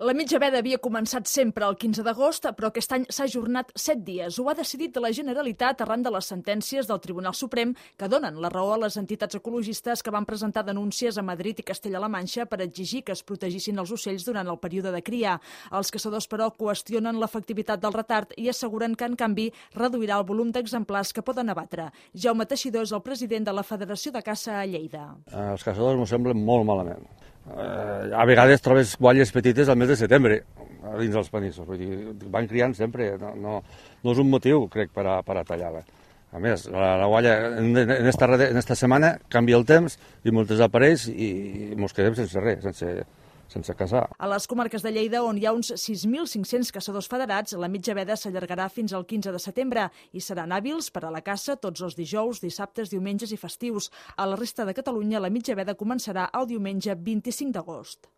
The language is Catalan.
La mitja veda havia començat sempre el 15 d'agost, però aquest any s'ha ajornat 7 dies. Ho ha decidit la Generalitat arran de les sentències del Tribunal Suprem que donen la raó a les entitats ecologistes que van presentar denúncies a Madrid i Castella-La Manxa per exigir que es protegissin els ocells durant el període de cria. Els caçadors, però, qüestionen l'efectivitat del retard i asseguren que, en canvi, reduirà el volum d'exemplars que poden abatre. Jaume Teixidor és el president de la Federació de Caça a Lleida. Els caçadors m'ho semblen molt malament. A vegades trobes guatlles petites al mes de setembre dins dels panissos, vull dir, van criant sempre, no és un motiu, crec, per a tallar-la. A més, la gualla en esta setmana canvia el temps i molts desapareix i mos quedem sense res, sense caçar. A les comarques de Lleida, on hi ha uns 6.500 caçadors federats, la mitja veda s'allargarà fins al 15 de setembre i seran hàbils per a la caça tots els dijous, dissabtes, diumenges i festius. A la resta de Catalunya, la mitja veda començarà el diumenge 25 d'agost.